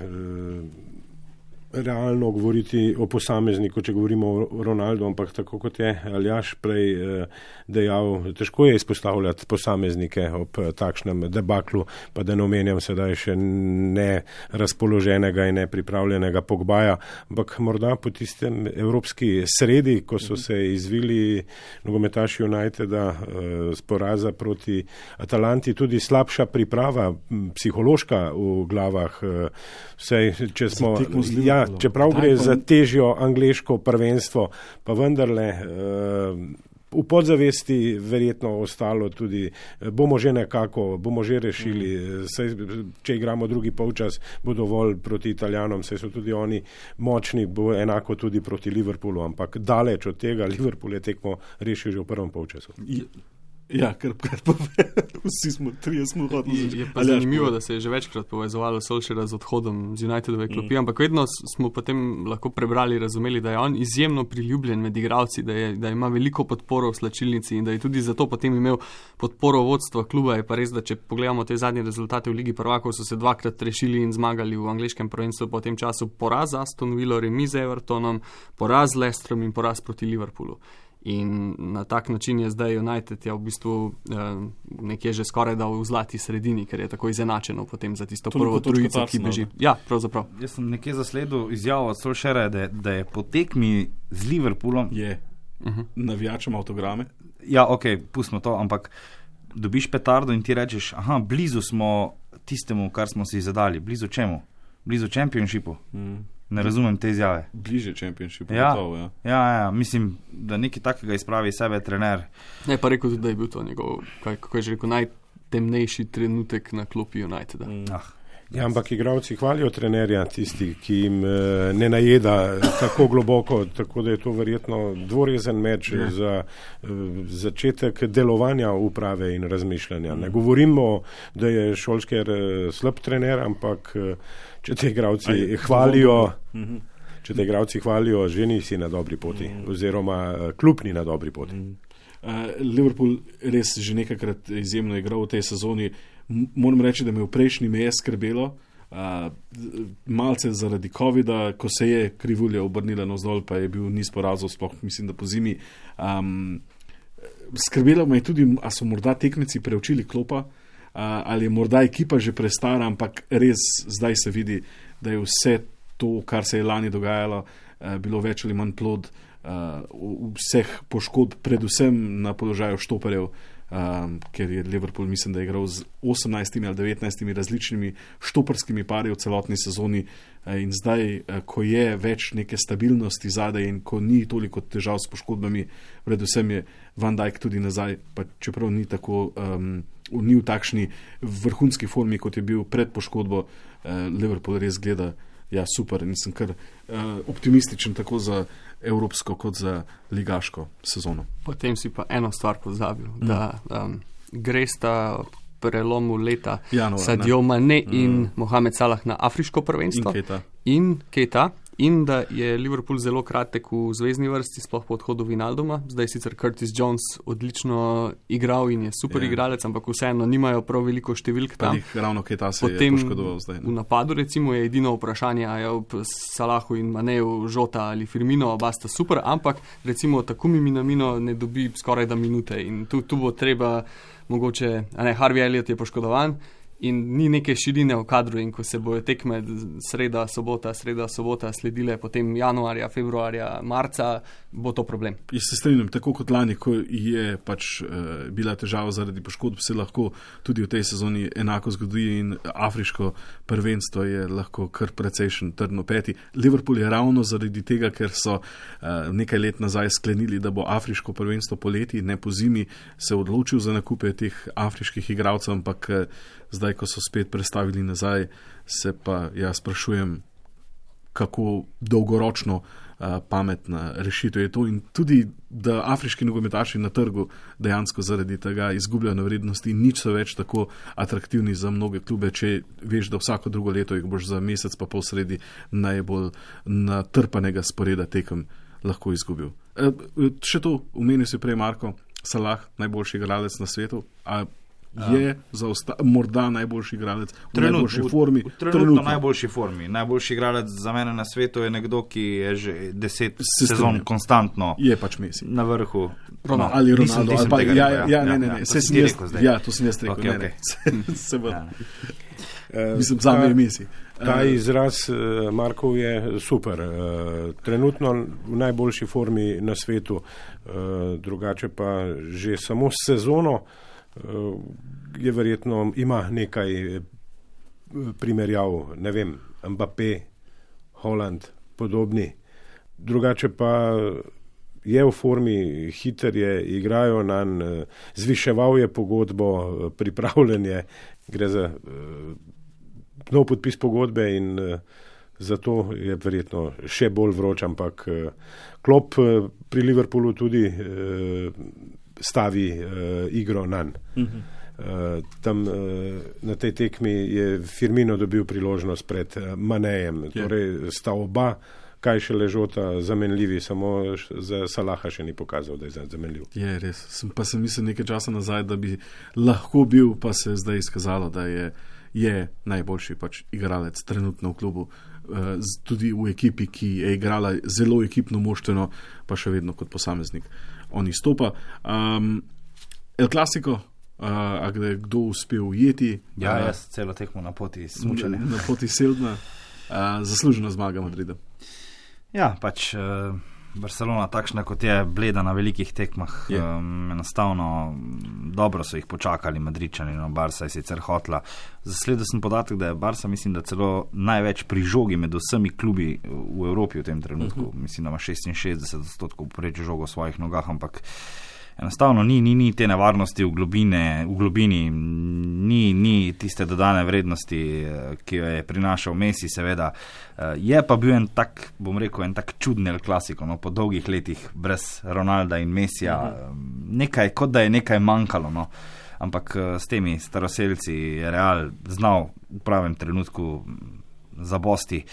realno govoriti o posamezniku, če govorimo o Ronaldu, ampak tako kot je Aljaž prej e, dejal, težko je izpostavljati posameznike ob takšnem debaklu, pa da ne omenjam sedaj še ne razpoloženega in nepripravljenega Pogbaja, ampak morda po tistem evropski sredi, ko so se izvili nogometaši Uniteda e, z poraza proti Atalanti, tudi slabša priprava, psihološka v glavah, e, vsej, če smo, ja, čeprav gre za težjo angleško prvenstvo, pa vendarle uh, v podzavesti verjetno ostalo tudi, bomo že nekako, bomo že rešili, mm. saj, če igramo drugi polčas, bo dovolj proti Italijanom, saj so tudi oni močni, bo enako tudi proti Liverpoolu, ampak daleč od tega, Liverpool je tekmo rešil že v prvem polčasu. Ja, ker vsi smo, trije smo hodili. Je pa zanimivo, da se je že večkrat povezovalo Solskjaera z odhodom z Unitedove klopi, mm. ampak vedno smo potem lahko prebrali, razumeli, da je on izjemno priljubljen med igralci, da, je, da ima veliko podporo v slačilnici in da je tudi zato potem imel podporo vodstva kluba. Je pa res, da če pogledamo te zadnje rezultate v Ligi prvakov, so se dvakrat rešili in zmagali v angleškem prvenstvu, po tem času poraz Aston Villa, remis z Evertonom, poraz z Leicesterom in poraz proti Liverpoolu. In na tak način je zdaj United ja v bistvu eh, nekje že skoraj da v zlati sredini, ker je tako izenačeno potem za tisto prvo trojico, ki beži. Ja, pravzaprav. Jaz sem nekje zasledil izjavo od Solskjaera, da, da je po tekmi z Liverpoolom je uh-huh. navijačem avtograme. Ja, ok, pustimo to, ampak dobiš petardo in ti rečeš, aha, blizu smo tistemu, kar smo si zadali. Blizu čemu? Blizu Championshipu. Mm. Ne razumem te izjave. Bliže Championshipu. Ja, gotovo, ja. ja, ja, mislim, da nekaj takega izpravi sebe trener. Ne, pa rekel tudi, da je bil to njegov, kako je že rekel, najtemnejši trenutek na klopi Uniteda. Mm. Ah. Ja, ampak igralci hvalijo trenerja, tisti, ki jim e, ne najeda tako globoko, tako da je to verjetno dvorezen meč ja. za e, začetek delovanja uprave in razmišljanja. Ne govorimo, da je Solskjaer slab trener, ampak e, če te igralci Aj, hvalijo, mm-hmm. če te igralci hvalijo, že nisi na dobri poti, mm-hmm. oziroma klub ni na dobri poti. Mm-hmm. Uh, Liverpool res že nekajkrat izjemno igral v tej sezoni. Moram reči, da me v prejšnji me je skrbelo, uh, malce zaradi covida, ko se je krivulja obrnila navzdol, pa je bil niz porazov, sploh mislim, da po zimi. Um, skrbelo me je tudi, a so morda tekmeci preučili klopa, uh, ali je morda ekipa že prestara, ampak res zdaj se vidi, da je vse to, kar se je lani dogajalo, uh, bilo več ali manj plod uh, vseh poškodb, predvsem na položaju štoperjev, Um, ker je Liverpool, mislim, da je igral z osemnajstimi ali devetnajstimi različnimi štoperskimi pari v celotni sezoni in zdaj, ko je več neke stabilnosti zadaj in ko ni toliko težav s poškodbami, predvsem je Van Dijk tudi nazaj, pa čeprav ni tako, um, ni v takšni vrhunski formi, kot je bil pred poškodbo, uh, Liverpool res gleda ja, super in sem kar uh, optimističen tako za evropsko kot za ligaško sezono. Potem si pa eno stvar pozabil, mm. da um, gre sta prelomu leta Januar, Sadio Mane mm. in Mohamed Salah na afriško prvenstvo. In Keta. In Keta. In da je Liverpool zelo kratek v zvezni vrsti, sploh po odhodu Vinalduma. Zdaj sicer Curtis Jones odlično igral in je super yeah. igralec, ampak vseeno nimajo prav veliko številk tam. Ravno Keta se Potem je poškodoval zdaj. Ne? V napadu recimo je edino vprašanje, a je ob Salahu in Maneju Žota ali Firmino, oba sta super, ampak recimo Takumi Minamino ne dobi skoraj da minute in tu, tu bo treba mogoče, a ne, Harvey Elliott je poškodovan in ni neke širine v kadru in ko se bojo tekme sreda, sobota, sreda, sobota sledile potem januarja, februarja, marca, bo to problem. Jaz se strinjam, tako kot lani, ko je pač uh, bila težava zaradi poškodb, se lahko tudi v tej sezoni enako zgodi in afriško prvenstvo je lahko kar precejšen trdno peti. Liverpool je ravno zaradi tega, ker so uh, nekaj let nazaj sklenili, da bo afriško prvenstvo poleti, ne po zimi, se odločil za nakupe teh afriških igralcev, ampak uh, zdaj, ko so spet prestavili nazaj, se pa jaz sprašujem, kako dolgoročno uh, pametna rešitev je to in tudi, da afriški nogometaši na trgu dejansko zaradi tega izgubljajo na vrednosti in nič so več tako atraktivni za mnoge klube, če veš, da vsako drugo leto jih boš za mesec pa pol sredi najbolj natrpanega sporeda tekem lahko izgubil. E, še to, omenil si prej Marko, Salah, najboljši igralec na svetu, a je za osta- morda najboljši igralec v Trenut, najboljši formi. V, v trenutno, trenutno najboljši formi. Najboljši igralec za mene na svetu je nekdo, ki je že deset sezon konstantno je pač Messi na vrhu. Ronaldo. Ali Ronaldo. Nisem, ali pa, nisem ja, rekel, ja, ja, ne, ne, ne. Ja, Se to sem jaz, rekel zdaj. ja, to sem jaz rekel. Okay, ne, okay. ne. Se, se ja. uh, mislim, za me je Messi. Ta izraz uh, Markov je super. Uh, trenutno v najboljši formi na svetu, uh, drugače pa že samo sezono uh, je verjetno, ima nekaj primerjav, ne vem, Mbappé, Holland, podobni. Drugače pa je v formi, hiter je, igrajo nanj, zviševal je pogodbo, pripravljen je, gre za nov podpis pogodbe in zato je verjetno še bolj vroč, ampak Klopp pri Liverpoolu tudi stavi igro nanj. Mhm. Uh, tam uh, na tej tekmi je Firmino dobil priložnost pred uh, Manejem. Yeah. Torej sta oba, kaj še ležota, zamenljivi, samo za Salaha še ni pokazal, da je zamenljiv. Je res. Sem, pa sem mislil nekaj časa nazaj, da bi lahko bil, pa se je zdaj izkazalo, da je, je najboljši pač igralec trenutno v klubu. Uh, tudi v ekipi, ki je igrala zelo ekipno moštveno, pa še vedno kot posameznik. On izstopa. Um, El Clasico, Uh, a gde je kdo uspel ujeti? Ja, uh, jaz celo tekmo na poti smučanja. Na poti Seldna. Uh, zaslužena zmaga Madrida. Ja, pač uh, Barcelona takšna, kot je, bleda na velikih tekmah. Yeah. Um, enostavno dobro so jih počakali Madridčani, no Barca je sicer hotla. Zasledil sem podatek, da je Barca, mislim, da celo največ pri žogi med vsemi klubi v Evropi v tem trenutku. Uh-huh. Mislim, da ima šestinšestdeset odstotkov popreč žogo v svojih nogah, ampak enostavno ni, ni, ni te nevarnosti v, globine, v globini, ni, ni tiste dodane vrednosti, ki jo je prinašal Messi, seveda. Je pa bil en tak, bom rekel, en tak čuden El Clasico, no, po dolgih letih brez Ronalda in Messija. Nekaj, kot da je nekaj manjkalo, no. Ampak s temi staroselci je Real znal v pravem trenutku zabosti.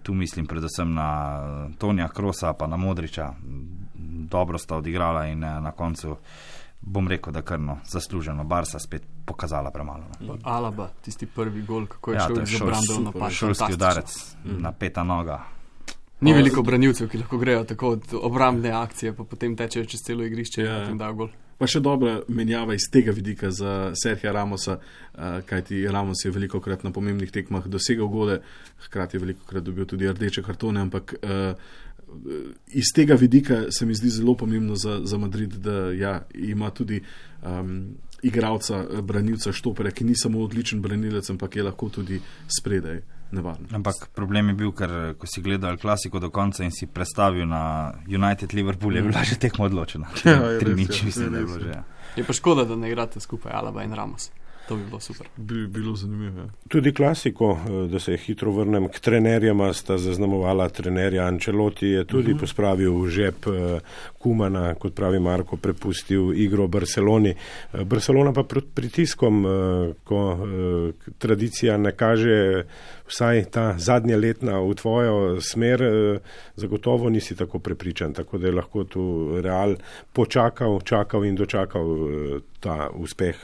Tu mislim predvsem na Tonija Krosa pa na Modriča. Dobro sta odigrala in na koncu bom rekel, da krno zasluženo Barca spet pokazala premalo. No. Alaba, tisti prvi gol, kako je ja, šel iz obrambov napad. Šolski udarec mm. na peta noga. Ni veliko branilcev, ki lahko grejo tako od obrambne akcije, pa potem tečejo čez celo igrišče ja. in potem dajo gol. Pa še dobra menjava iz tega vidika za Serhija Ramosa, kajti Ramos je veliko krat na pomembnih tekmah dosegal gole, hkrati je veliko krat dobil tudi rdeče kartone, ampak iz tega vidika se mi zdi zelo pomembno za, za Madrid, da ja, ima tudi um, igralca, branilca Štopera, ki ni samo odličen branilec, ampak je lahko tudi spredaj nevarno. Ampak problem je bil, ker ko si gledal klasiko do konca in si predstavil na United Liverpool, je bila že tekma odločena. Ja, Tri nič, mislim, da je bilo že. Ja. Je pa škoda, da ne igrate skupaj Alaba in Ramos. To bi bilo super. Bi bilo zanimivo. Tudi klasiko, da se hitro vrnem k trenerjama, sta zaznamovala trenerja Ancelotti, je tudi uh-huh. pospravil v žep Kumana, kot pravi Marko, prepustil igro Barceloni. Barcelona pa pod pritiskom, ko tradicija ne kaže vsaj ta zadnja letna v tvojo smer, zagotovo nisi tako prepričan, tako da je lahko tu Real počakal, čakal in dočakal ta uspeh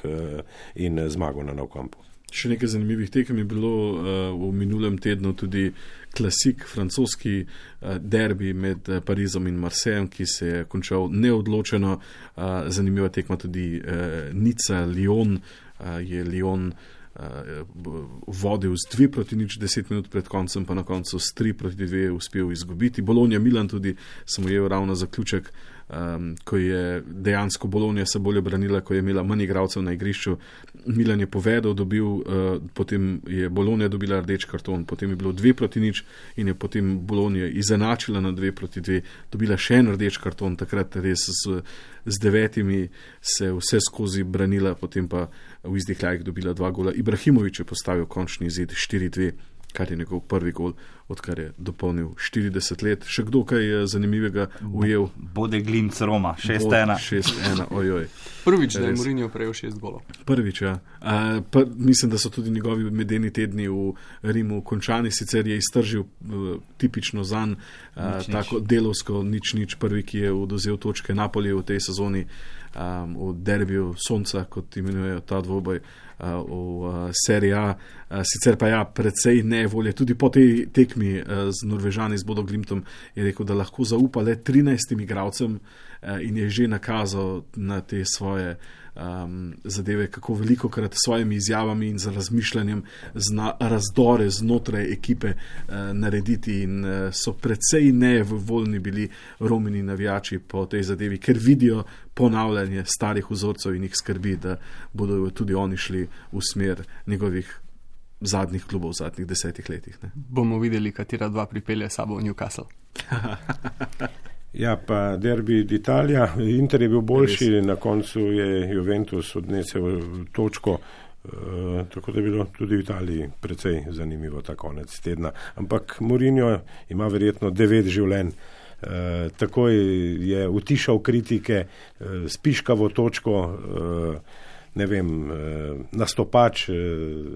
in zmago na Nou Campu. Še nekaj zanimivih tekem je bilo uh, v minulem tednu tudi klasik, francoski uh, derbi med uh, Parizom in Marsejem, ki se je končal neodločeno. Uh, zanimiva tekma tudi uh, Nica, Lyon, uh, je Lyon vodil z dve proti nič deset minut pred koncem, pa na koncu s tri proti dve uspel izgubiti. Bologna Milan tudi sem ujel ravno zaključek, um, ko je dejansko Bologna se bolje branila, ko je imela manj igralcev na igrišču. Milan je povedal, dobil, uh, potem je Bologna dobila rdeč karton, potem je bilo dve proti nič in je potem Bologna izenačila na dve proti dve, dobila še en rdeč karton, takrat res z, z devetimi se vse skozi branila, potem pa v izdihljajih dobila dva gola. Ibrahimović je postavil končni izid štiri dve, kar je njegov prvi gol, odkar je dopolnil štirideset let. Še kdo kaj zanimivega ujel? Bode Glinc Roma, šest ena. šest ena, ojoj. Prvič, da je Mourinho prejel šest golov. Prvič, ja. Uh, pa, mislim, da so tudi njegovi medeni tedni v Rimu končani, sicer je iztržil uh, tipično zanj, uh, tako delovsko nič nič, prvi, ki je oduzel točke Napoli v tej sezoni, um, v derbiju Sonca, kot imenujejo ta dvoboj, uh, v uh, Serie A. Uh, sicer pa ja, precej nevolje, tudi po tej tekmi uh, z Norvežani, z Bodo Glimtom, je rekel, da lahko zaupa le trinajstim igralcem uh, in je že nakazal na te svoje um, zadeve, kako veliko krat s svojimi izjavami in z razmišljanjem zna razdore znotraj ekipe uh, narediti in uh, so precej nevoljni bili Romini navijači po tej zadevi, ker vidijo ponavljanje starih vzorcev in jih skrbi, da bodo tudi oni šli v smer njegovih zadnjih klubov v zadnjih desetih letih. Ne. Bomo videli, katera dva pripelje sabo v Newcastle. Ja, pa derbi d'Italia. Inter je bil boljši, na koncu je Juventus odnesel točko, uh, tako da je bilo tudi v Italiji precej zanimivo ta konec tedna. Ampak Mourinho ima verjetno devet življenj. Uh, takoj je utišal kritike, uh, spiškavo točko, uh, ne vem, uh, nastopač, uh,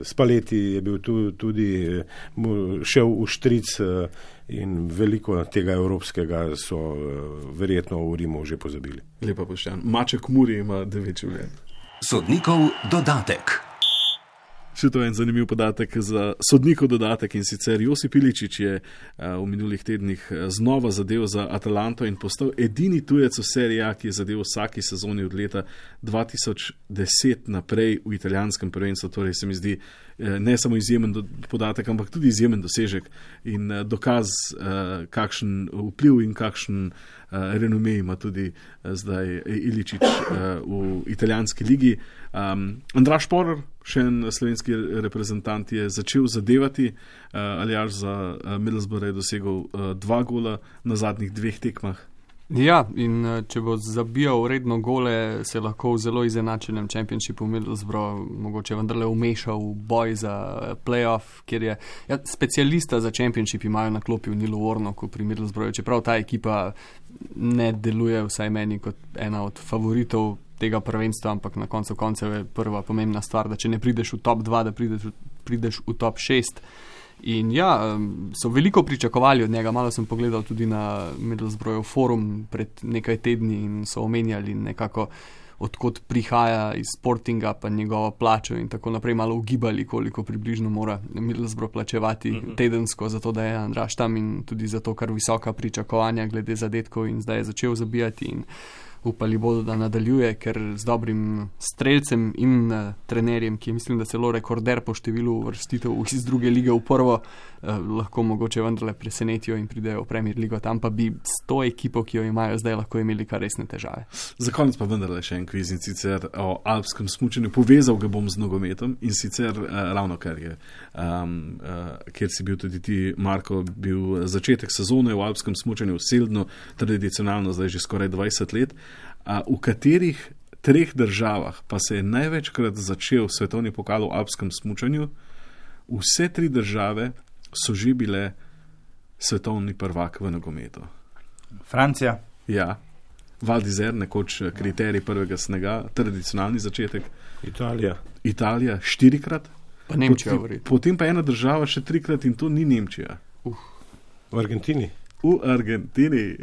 Spalletti je bil tu, tudi uh, šel v štric uh, in veliko tega evropskega so uh, verjetno v Rimu že pozabili. Lepa pošten. Maček Muri ima devet življenj. Sodnikov dodatek. Še to je en zanimiv podatek za sodnikov dodatek, in sicer Josip Iličić je a, v minulih tednih znova zadev za Atalanto in postal edini tujec v Serie A, ki je zadev vsaki sezoni od leta dva tisoč deset naprej v italijanskem prvenstvu. Torej se mi zdi ne samo izjemen podatek, ampak tudi izjemen dosežek in dokaz, kakšen vpliv in kakšen renome ima tudi zdaj Iličić v italijanski ligi. Um, Andraž Porer, še en slovenski reprezentant, je začel zadevati, uh, Aljaž za uh, Middlesbrough je dosegel uh, dva gola na zadnjih dveh tekmah. Ja, in če bo zabijal redno gole, se lahko v zelo izenačenem čempionšipu Middlesbrough mogoče vendarle umešal v boj za playoff, kjer je ja, specialista za čempionšip imajo na klopi v Nilu Warnocku pri Middlesbroughu, čeprav ta ekipa ne deluje vsaj meni kot ena od favoritov tega prvenstva, ampak na koncu koncev je prva pomembna stvar, da če ne prideš v top dva, da prideš, prideš v top šest. In ja, so veliko pričakovali od njega, malo sem pogledal tudi na Middlesbrough forum pred nekaj tedni in so omenjali nekako, odkot prihaja iz Sportinga, pa njegovo plačo in tako naprej, malo ugibali, koliko približno mora Middlesbrough plačevati uh-huh. tedensko, zato da je Andraž tam in tudi zato, kar visoka pričakovanja glede zadetkov in zdaj je začel zabijati in upali bodo, da nadaljuje, ker z dobrim strelcem in uh, trenerjem, ki je mislim, da celo rekorder po številu uvrstitev iz druge lige v prvo, uh, lahko mogoče vendarle presenetijo in pridejo v Premier ligo. Tam pa bi s to ekipo, ki jo imajo zdaj, lahko imeli kar resne težave. Za konec pa vendarle še en kviz, in sicer o alpskem smučanju. Povezal ga bom z nogometom in sicer uh, ravno kar je, um, uh, kjer si bil tudi ti, Marko, bil začetek sezone v alpskem smučanju v Seldnu, tradicionalno zdaj že skoraj dvajset let. A v katerih treh državah pa se je največkrat začel svetovni pokal v alpskem smučanju? Vse tri države so že bile svetovni prvak v nogometu. Francija. Ja. Val d'Isère, nekoč kriterij prvega snega, tradicionalni začetek. Italija. Italija štirikrat. Pa Nemčija. Potem, potem pa ena država še trikrat in to ni Nemčija. Uh. V Argentini. V Argentini.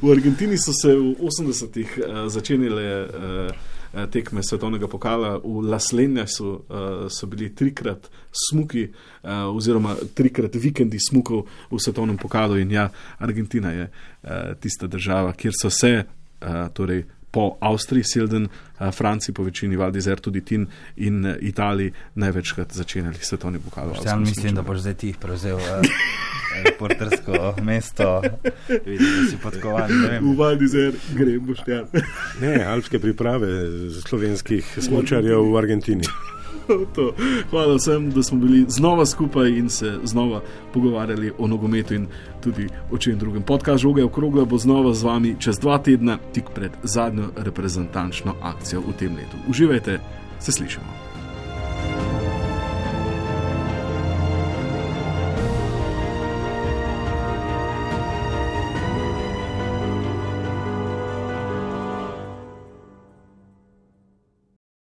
V Argentini so se v osemdesetih uh, začenile uh, tekme svetovnega pokala. V Las Lenjasu uh, so bili trikrat smuki uh, oziroma trikrat vikendi smukov v svetovnem pokalu in ja, Argentina je uh, tista država, kjer so se uh, torej po Avstriji, Silden, Franciji, po večini Val d'Isère, tudi Tin in Italiji največkrat začenjali svetovni pokal. Ja, mislim, da boš zdaj ti prevzel uh, reportersko mesto. Vidim, da si podkovan. V Val d'Isère gre, Boštjan. Ne, alpske priprave slovenskih smučarjev v Argentini. To. Hvala vsem, da smo bili znova skupaj in se znova pogovarjali o nogometu in tudi o čem drugem. Podcast Žoga je okrogla bo znova z vami čez dva tedna, tik pred zadnjo reprezentančno akcijo v tem letu. Uživajte, se slišimo.